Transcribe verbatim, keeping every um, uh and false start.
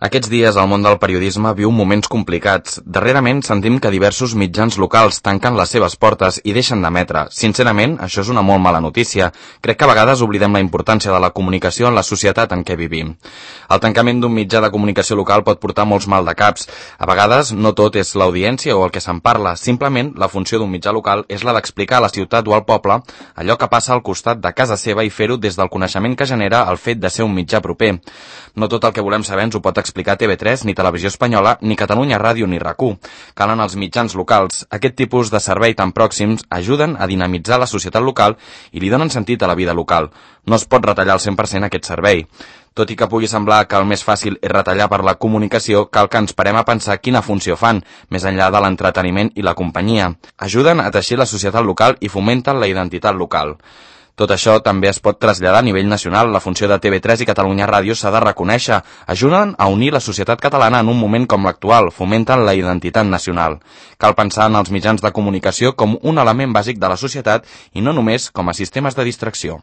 Aquests dies el món del periodisme viu moments complicats. Darrerament sentim que diversos mitjans locals tanquen les seves portes i deixen d'emetre. Sincerament, això és una molt mala notícia. Crec que a vegades oblidem la importància de la comunicació en la societat en què vivim. El tancament d'un mitjà de comunicació local pot portar molts maldecaps. A vegades no tot és l'audiència o el que se'n parla. Simplement, la funció d'un mitjà local és la d'explicar a la ciutat o al poble allò que passa al costat de casa seva i fer-ho des del coneixement que genera el fet de ser un mitjà proper. No tot el que volem saber ens ho pot explicar T V tres, ni Televisió Espanyola, ni Catalunya Ràdio, ni RAC u. Calen els mitjans locals. Aquest tipus de servei tan pròxims ajuden a dinamitzar la societat local i li donen sentit a la vida local. No es pot retallar al cent per cent aquest servei. Tot i que pugui semblar que el més fàcil és retallar per la comunicació, cal que ens parem a pensar quina funció fan, més enllà de l'entreteniment i la companyia. Ajuden a teixir la societat local i fomenten la identitat local. Tot això també es pot traslladar a nivell nacional. La funció de T V tres i Catalunya Ràdio s'ha de reconèixer. Ajuden a unir la societat catalana en un moment com l'actual, fomenten la identitat nacional. Cal pensar en els mitjans de comunicació com un element bàsic de la societat i no només com a sistemes de distracció.